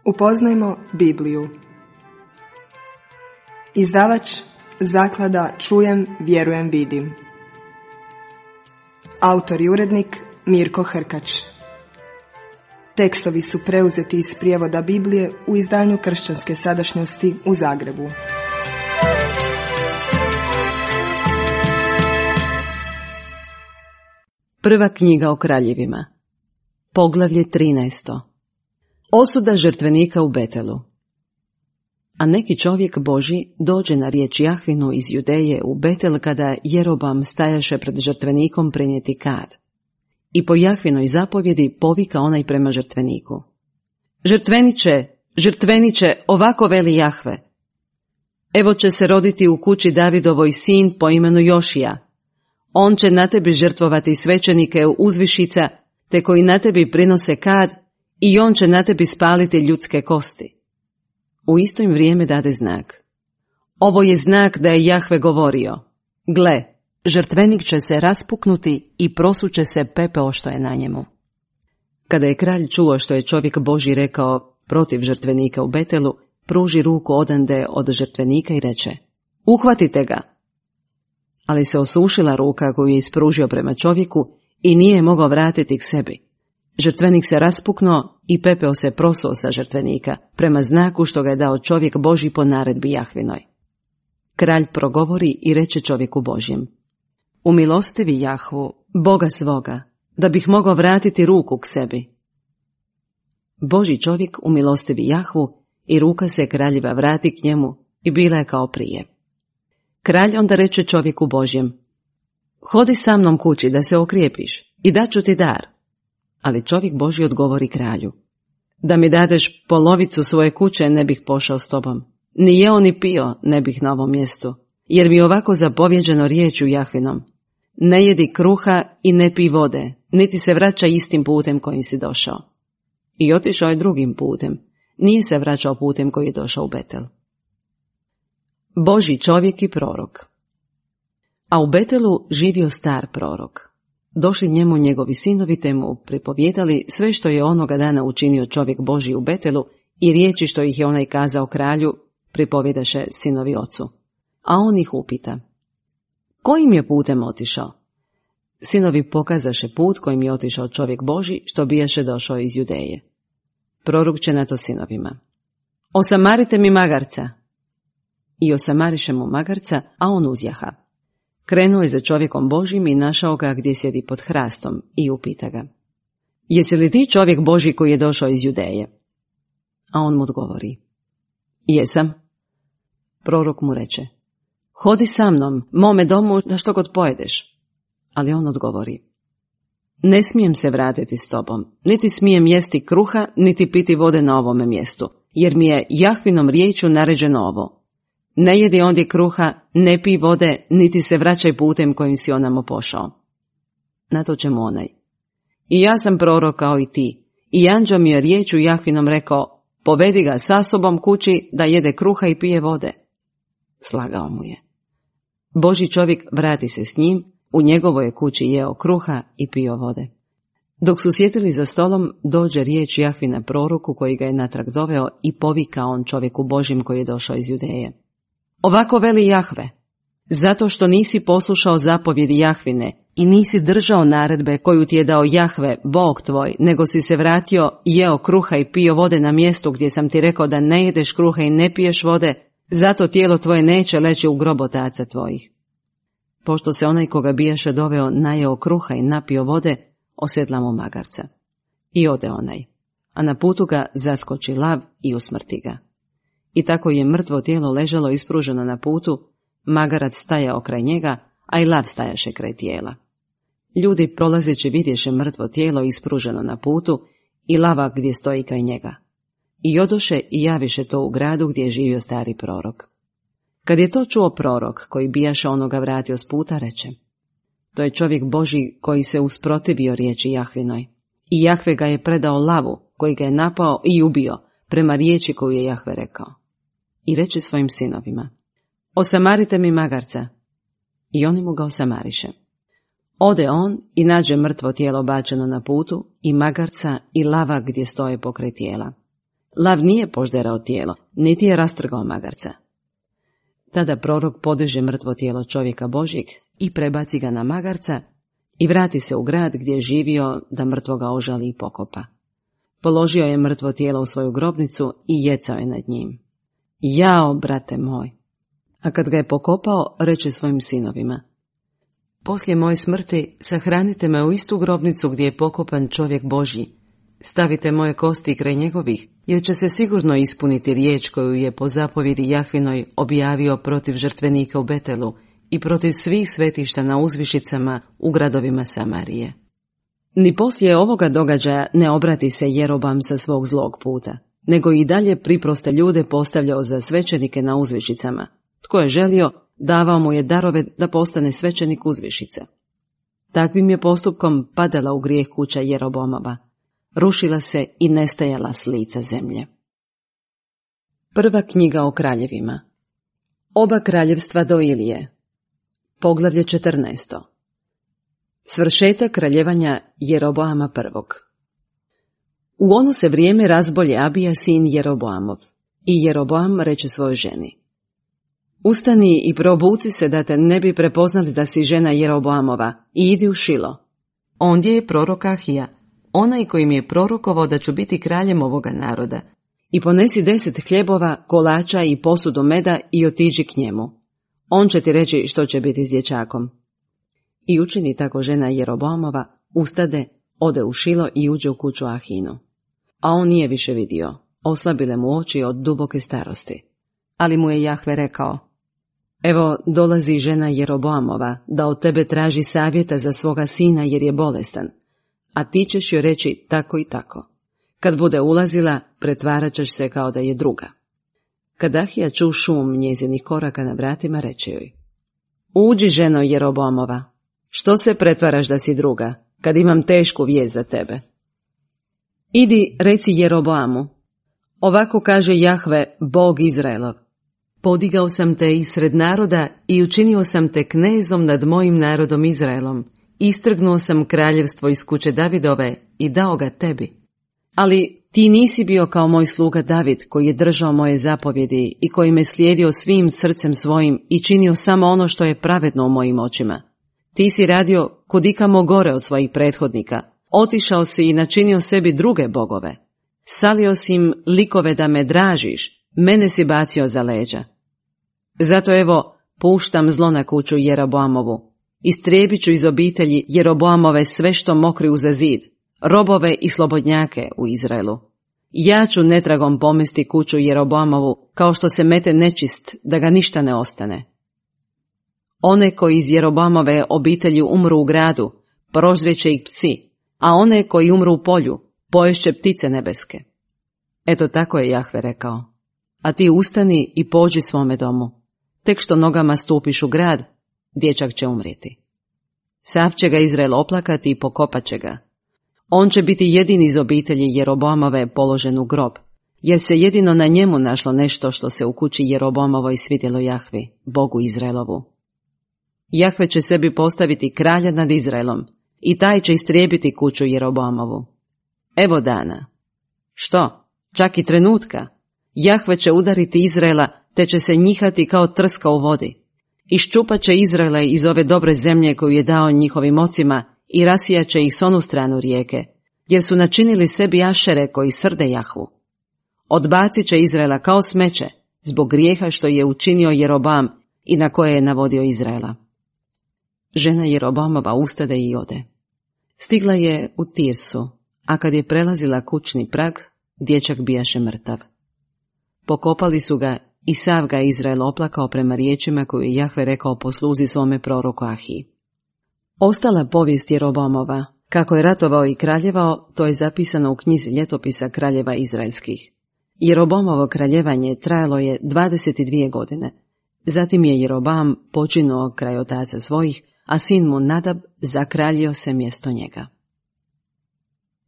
Upoznajmo Bibliju. Izdavač Zaklada Čujem, vjerujem, vidim. Autor i urednik Mirko Hrkač. Tekstovi su preuzeti iz prijevoda Biblije u izdanju Kršćanske sadašnjosti u Zagrebu. Prva knjiga o kraljevima. Poglavlje 13. Osuda žrtvenika u Betelu. A neki čovjek Božji dođe na riječ Jahvinu iz Judeje u Betel kada Jerobam stajaše pred žrtvenikom prinijeti kad. I po Jahvinoj zapovjedi povika onaj prema žrtveniku. Žrtveniče, žrtveniče, ovako veli Jahve. Evo će se roditi u kući Davidovoj sin po imenu Jošija. On će na tebi žrtvovati svećenike uzvišica, te koji na tebi prinose kad, i on će na tebi spaliti ljudske kosti. U isto im vrijeme dade znak. Ovo je znak da je Jahve govorio. Gle, žrtvenik će se raspuknuti i prosuće se pepeo što je na njemu. Kada je kralj čuo što je čovjek Božji rekao protiv žrtvenika u Betelu, pruži ruku odande od žrtvenika i reče, uhvatite ga. Ali se osušila ruka koju je ispružio prema čovjeku i nije mogao vratiti k sebi. Žrtvenik se raspuknuo i pepeo se prosuo sa žrtvenika, prema znaku što ga je dao čovjek Božji po naredbi Jahvinoj. Kralj progovori i reče čovjeku Božjem, umilostivi Jahvu, Boga svoga, da bih mogao vratiti ruku k sebi. Božji čovjek umilostivi Jahvu i ruka se kraljeva vrati k njemu i bila je kao prije. Kralj onda reče čovjeku Božjem, hodi sa mnom kući da se okrijepiš i daću ti dar. Ali čovjek Božji odgovori kralju, da mi dadeš polovicu svoje kuće ne bih pošao s tobom, ni jeo ni pio ne bih na ovom mjestu, jer mi je ovako zapovjeđeno riječju Jahvinom, ne jedi kruha i ne pij vode, niti se vraća istim putem kojim si došao. I otišao je drugim putem, nije se vraćao putem koji je došao u Betel. Božji čovjek i prorok. A u Betelu živio star prorok. Došli njemu njegovi sinovi te mu pripovjedali sve što je onoga dana učinio čovjek Božji u Betelu i riječi što ih je onaj kazao kralju pripovjedaše sinovi ocu. A on ih upita, kojim je putem otišao? Sinovi pokazaše put kojim je otišao čovjek Božji što bijaše došao iz Judeje. Prorok će na to sinovima, osamarite mi magarca. I osamariše mu magarca, a on uzjaha. Krenuo je za čovjekom Božjim i našao ga gdje sjedi pod hrastom i upita ga, jesi li ti čovjek Božji koji je došao iz Judeje? A on mu odgovori, jesam. Prorok mu reče, hodi sa mnom, mome domu, na što god pojedeš. Ali on odgovori, ne smijem se vratiti s tobom, niti smijem jesti kruha, niti piti vode na ovome mjestu, jer mi je Jahvinom riječju naređeno ovo. Ne jedi ondje kruha, ne pij vode, niti se vraćaj putem kojim si onamo pošao. Na to će mu onaj, i ja sam prorok kao i ti, i anđeo mi je riječju Jahvinom rekao, povedi ga sa sobom kući da jede kruha i pije vode. Slagao mu je. Božji čovjek vrati se s njim, u njegovoj je kući jeo kruha i pio vode. Dok su sjedili za stolom, dođe riječ Jahvina proroku koji ga je natrag doveo i povika on čovjeku Božjem koji je došao iz Judeje. Ovako veli Jahve, zato što nisi poslušao zapovjedi Jahvine i nisi držao naredbe koju ti je dao Jahve, Bog tvoj, nego si se vratio, jeo kruha i pio vode na mjestu gdje sam ti rekao da ne jedeš kruha i ne piješ vode, zato tijelo tvoje neće leći u grob otaca tvojih. Pošto se onaj koga bijaše doveo najeo kruha i napio vode, osjedla mu magarca. I ode onaj, a na putu ga zaskoči lav i usmrti ga. I tako je mrtvo tijelo ležalo ispruženo na putu, magarac stajao kraj njega, a i lav stajaše kraj tijela. Ljudi prolazeći vidješe mrtvo tijelo ispruženo na putu i lava gdje stoji kraj njega. I odoše i javiše to u gradu gdje je živio stari prorok. Kad je to čuo prorok, koji bijaše onoga vratio s puta, reče, to je čovjek Božji koji se usprotivio riječi Jahvinoj. I Jahve ga je predao lavu, koji ga je napao i ubio, prema riječi koju je Jahve rekao. I reče svojim sinovima, osamarite mi magarca. I oni mu ga osamariše. Ode on i nađe mrtvo tijelo bačeno na putu i magarca i lava gdje stoje pokraj tijela. Lav nije požderao tijelo, niti je rastrgao magarca. Tada prorok podiže mrtvo tijelo čovjeka Božjeg i prebaci ga na magarca i vrati se u grad gdje je živio da mrtvoga ožali i pokopa. Položio je mrtvo tijelo u svoju grobnicu i jecao je nad njim. Jao, brate moj! A kad ga je pokopao, reče svojim sinovima: poslije moje smrti sahranite me u istu grobnicu gdje je pokopan čovjek Božji. Stavite moje kosti kraj njegovih, jer će se sigurno ispuniti riječ koju je po zapovjedi Jahvinoj objavio protiv žrtvenika u Betelu i protiv svih svetišta na uzvišicama u gradovima Samarije. Ni poslije ovoga događaja ne obrati se Jeroboam sa svog zlog puta, nego i dalje priproste ljude postavljao za svećenike na uzvišicama. Tko je želio, davao mu je darove da postane svećenik uzvišice. Takvim je postupkom padala u grijeh kuća Jeroboamova. Rušila se i nestajala s lica zemlje. Prva knjiga o kraljevima. Oba kraljevstva do Ilije. Poglavlje 14. Svršetak kraljevanja Jeroboama prvog. U ono se vrijeme razbolje Abija sin Jeroboamov, i Jeroboam reče svojoj ženi: ustani i probuci se da te ne bi prepoznali da si žena Jeroboamova i idi u Šilo. Ondje je prorok Ahija, onaj koji mi je prorokovao da ću biti kraljem ovoga naroda. I ponesi 10 hljebova, kolača i posudu meda i otiđi k njemu. On će ti reći što će biti s dječakom. I učini tako žena Jeroboamova, ustade, ode u Šilo i uđe u kuću Ahinu. A on nije više vidio, oslabile mu oči od duboke starosti. Ali mu je Jahve rekao: evo dolazi žena Jeroboamova da od tebe traži savjeta za svoga sina jer je bolestan, a ti ćeš joj reći tako i tako. Kad bude ulazila, pretvarat ćeš se kao da je druga. Kad Ahija ču šum njezinih koraka na vratima, reče joj: uđi, ženo Jeroboamova, što se pretvaraš da si druga, kad imam tešku vijest za tebe? Idi, reci Jeroboamu: ovako kaže Jahve, Bog Izraelov: podigao sam te isred naroda i učinio sam te knezom nad mojim narodom Izraelom. Istrgnuo sam kraljevstvo iz kuće Davidove i dao ga tebi. Ali ti nisi bio kao moj sluga David, koji je držao moje zapovjedi i koji me slijedio svim srcem svojim i činio samo ono što je pravedno u mojim očima. Ti si radio kudikamo gore od svojih prethodnika. Otišao si i načinio sebi druge bogove. Salio si im likove da me dražiš, mene si bacio za leđa. Zato evo, puštam zlo na kuću Jeroboamovu. Istrijebit ću iz obitelji Jeroboamove sve što mokri uza zid, robove i slobodnjake u Izraelu. Ja ću netragom pomesti kuću Jeroboamovu, kao što se mete nečist, da ga ništa ne ostane. One koji iz Jeroboamove obitelji umru u gradu, prožreće ih psi, a one koji umru u polju, poješće ptice nebeske. Eto tako je Jahve rekao: a ti ustani i pođi svome domu. Tek što nogama stupiš u grad, dječak će umrijeti. Sav će ga Izrael oplakati i pokopat će ga. On će biti jedini iz obitelji Jeroboamove položen u grob, jer se jedino na njemu našlo nešto što se u kući Jeroboamovoj svidjelo Jahvi, Bogu Izraelovu. Jahve će sebi postaviti kralja nad Izraelom i taj će istrijebiti kuću Jeroboamovu. Evo dana. Što? Čak i trenutka. Jahve će udariti Izraela, te će se njihati kao trska u vodi. Iščupat će Izraela iz ove dobre zemlje koju je dao njihovim ocima i rasijat će ih s onu stranu rijeke, jer su načinili sebi ašere koji srde Jahvu. Odbacit će Izraela kao smeće, zbog grijeha što je učinio Jeroboam i na koje je navodio Izraela. Žena Jeroboamova ustade i ode. Stigla je u Tirsu, a kad je prelazila kućni prag, dječak bijaše mrtav. Pokopali su ga i sav ga Izrael oplakao prema riječima koju je Jahve rekao po sluzi svome proroku Ahiji. Ostala povijest Jeroboamova, kako je ratovao i kraljevao, to je zapisano u knjizi ljetopisa kraljeva izraelskih. Jeroboamovo kraljevanje trajalo je 22 godine. Zatim je Jeroboam počinuo kraj otaca svojih, a sin mu Nadab zakraljio se mjesto njega.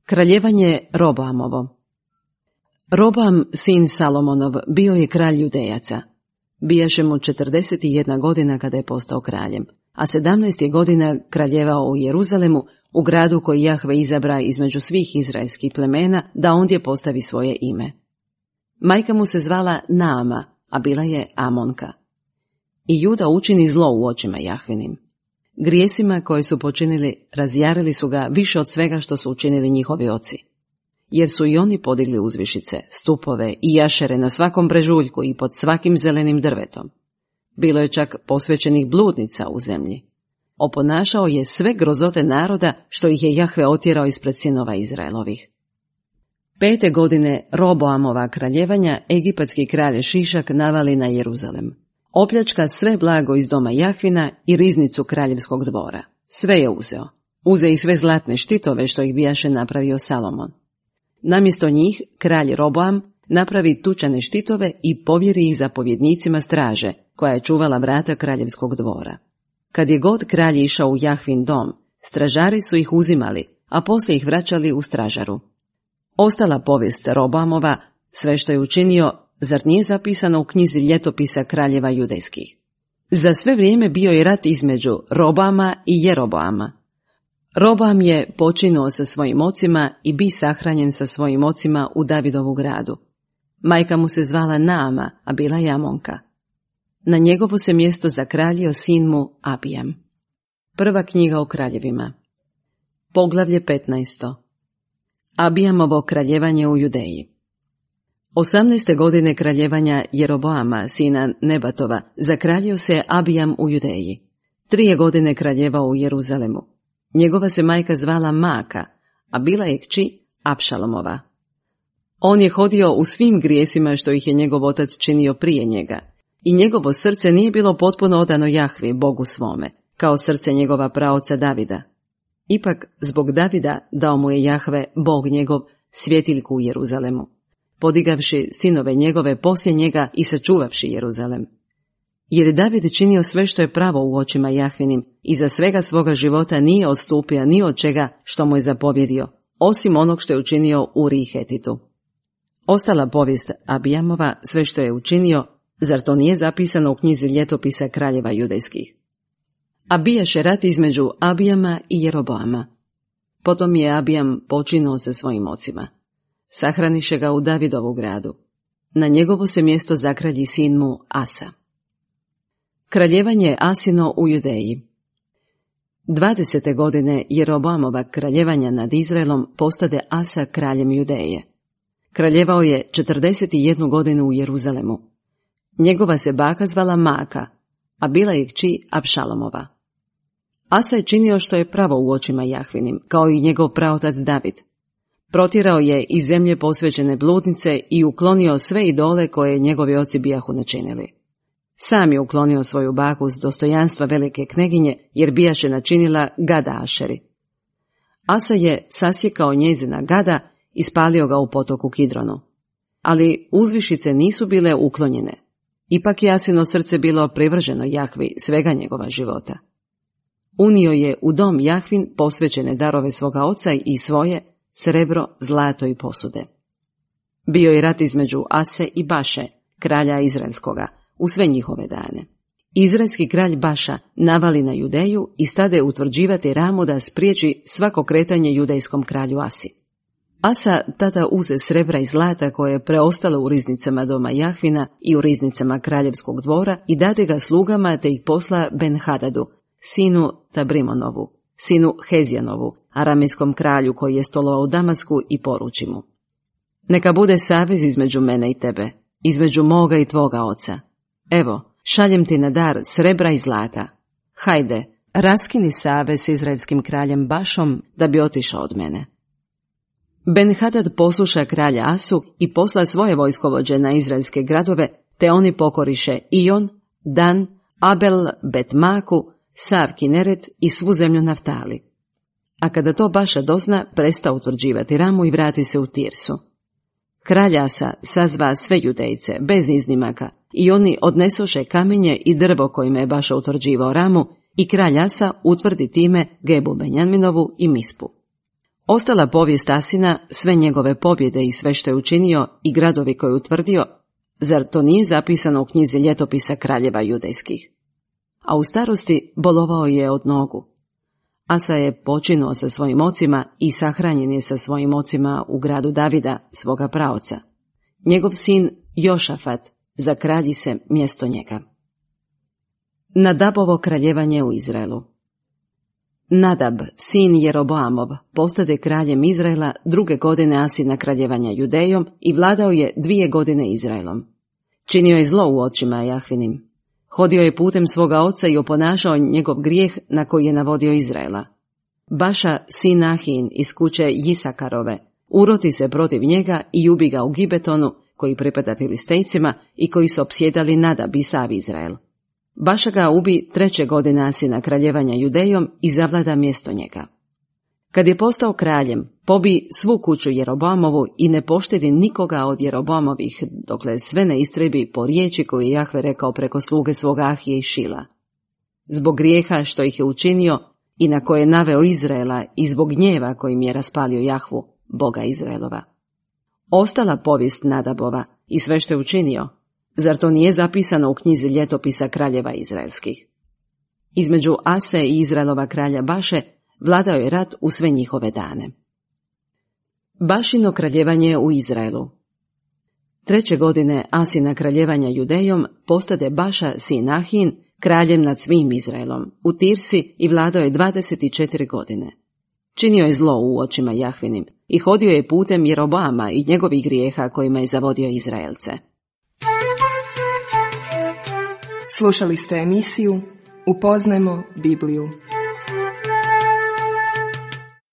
Kraljevanje Roboamovo. Roboam, sin Salomonov, bio je kralj Judejaca. Bijaše mu 41 godina kada je postao kraljem, a 17 je godina kraljevao u Jeruzalemu, u gradu koji Jahve izabra između svih izraelskih plemena, da ondje postavi svoje ime. Majka mu se zvala Naama, a bila je Amonka. I Juda učini zlo u očima Jahvinim. Grijesima koje su počinili razjarili su ga više od svega što su učinili njihovi oci. Jer su i oni podigli uzvišice, stupove i jašere na svakom brežuljku i pod svakim zelenim drvetom. Bilo je čak posvećenih bludnica u zemlji. Oponašao je sve grozote naroda što ih je Jahve otjerao ispred sinova Izraelovih. 5. godine Roboamova kraljevanja egipatski kralj Šišak navali na Jeruzalem. Opljačka sve blago iz doma Jahvina i riznicu kraljevskog dvora. Sve je uzeo. Uze i sve zlatne štitove što ih bijaše napravio Salomon. Namjesto njih kralj Roboam napravi tučane štitove i povjeri ih zapovjednicima straže, koja je čuvala vrata kraljevskog dvora. Kad je god kralj išao u Jahvin dom, stražari su ih uzimali, a poslije ih vraćali u stražaru. Ostala povijest Roboamova, sve što je učinio, zar nije zapisano u knjizi ljetopisa kraljeva judejskih? Za sve vrijeme bio je rat između Roboama i Jeroboama. Roboam je počinuo sa svojim ocima i bi sahranjen sa svojim ocima u Davidovu gradu. Majka mu se zvala Naama, a bila je Amonka. Na njegovo se mjesto zakraljio sin mu Abijam. Prva knjiga o kraljevima. Poglavlje 15. Abijamovo kraljevanje u Judeji. 18. godine kraljevanja Jeroboama, sina Nebatova, zakraljio se Abijam u Judeji. 3 godine kraljevao u Jeruzalemu. Njegova se majka zvala Maaka, a bila je kći Apšalomova. On je hodio u svim grijesima što ih je njegov otac činio prije njega, i njegovo srce nije bilo potpuno odano Jahvi, Bogu svome, kao srce njegova praoca Davida. Ipak, zbog Davida dao mu je Jahve, Bog njegov, svjetiljku u Jeruzalemu, podigavši sinove njegove poslije njega i sačuvavši Jeruzalem. Jer je David činio sve što je pravo u očima Jahvinim i za svega svoga života nije odstupio ni od čega što mu je zapovjedio, osim onog što je učinio Uriji Hetitu. Ostala povijest Abijamova, sve što je učinio, zar to nije zapisano u knjizi ljetopisa kraljeva judejskih? A bijaše rat između Abijama i Jeroboama. Potom je Abijam počinuo sa svojim ocima. Sahraniše ga u Davidovu gradu. Na njegovo se mjesto zakralji sin mu Asa. Kraljevanje Asino u Judeji. 20. godine Jeroboamova kraljevanja nad Izraelom postade Asa kraljem Judeje. Kraljevao je 41 godinu u Jeruzalemu. Njegova se baka zvala Maaka, a bila je kći Apšalomova. Asa je činio što je pravo u očima Jahvinim, kao i njegov praotac David. Protjerao je iz zemlje posvećene bludnice i uklonio sve idole koje njegovi oci bijahu načinili. Sam je uklonio svoju baku s dostojanstva velike kneginje, jer bijaše načinila gada Ašeri. Asa je sasjekao njezina gada i spalio ga u potoku Kidronu. Ali uzvišice nisu bile uklonjene. Ipak je Asino srce bilo privrženo Jahvi svega njegova života. Unio je u dom Jahvin posvećene darove svoga oca i svoje, srebro, zlato i posude. Bio je rat između Ase i Baše, kralja Izraelskoga, u sve njihove dane. Izraelski kralj Baša navali na Judeju i stade utvrđivati Ramu da spriječi svako kretanje judejskom kralju Asi. Asa tada uze srebra i zlata koje je preostalo u riznicama doma Jahvina i u riznicama kraljevskog dvora i dade ga slugama te ih posla Ben-Hadadu, sinu Tabrimonovu, sinu Hezijanovu, aramejskom kralju koji je stolovao u Damasku, i poruči mu: neka bude savez između mene i tebe, između moga i tvoga oca. Evo, šaljem ti na dar srebra i zlata. Hajde, raskini savez s izraelskim kraljem Bašom da bi otišao od mene. Ben-Hadad posluša kralja Asu i posla svoje vojskovođe na izraelske gradove, te oni pokoriše Ion, Dan, Abel, Bet-Maku, sav Kineret i svu zemlju Naftali. A kada to Baša dozna, presta utvrđivati Ramu i vrati se u Tirsu. Kralj Asa sazva sve Judejce, bez iznimaka, i oni odnesoše kamenje i drvo kojima je Baša utvrđivao Ramu, i kralj Asa utvrdi time Gebu Benjaminovu i Mispu. Ostala povijest Asina, sve njegove pobjede i sve što je učinio i gradovi koje je utvrdio, zar to nije zapisano u knjizi ljetopisa kraljeva judejskih? A u starosti bolovao je od nogu. Asa je počinuo sa svojim ocima i sahranjen je sa svojim ocima u gradu Davida, svoga praoca. njegov sin Jošafat zakralji se mjesto njega. Nadabovo kraljevanje u Izraelu. Nadab, sin Jeroboamov, postade kraljem Izraela 2. godine Asina kraljevanja Judejom i vladao je 2 godine Izraelom. Činio je zlo u očima Jahvinim. Hodio je putem svoga oca i oponašao njegov grijeh na koji je navodio Izraela. Baša, sin Ahin iz kuće Jisakarove, uroti se protiv njega i ubi ga u Gibetonu, koji pripada Filistejcima i koji su opsjedali Nadab i sav Izrael. Baša ga ubi 3. godine Asina kraljevanja Judejom i zavlada mjesto njega. Kad je postao kraljem, pobi svu kuću Jeroboamovu i ne poštedi nikoga od Jeroboamovih, dokle sve ne istrebi po riječi koju je Jahve rekao preko sluge svoga Ahije i Šila. Zbog grijeha što ih je učinio i na koje je naveo Izraela i zbog gnjeva kojim je raspalio Jahvu, Boga Izraelova. Ostala povijest Nadabova i sve što je učinio, zar to nije zapisano u knjizi ljetopisa kraljeva izraelskih? Između Ase i Izraelova kralja Baše vladao je rat u sve njihove dane. Bašino kraljevanje u Izraelu. 3. godine Asina kraljevanja Judejom postade Baša sin Ahin kraljem nad svim Izraelom u Tirsi i vladao je 24 godine. Činio je zlo u očima Jahvinim i hodio je putem Jeroboama i njegovih grijeha kojima je zavodio Izraelce. Slušali ste emisiju Upoznajmo Bibliju.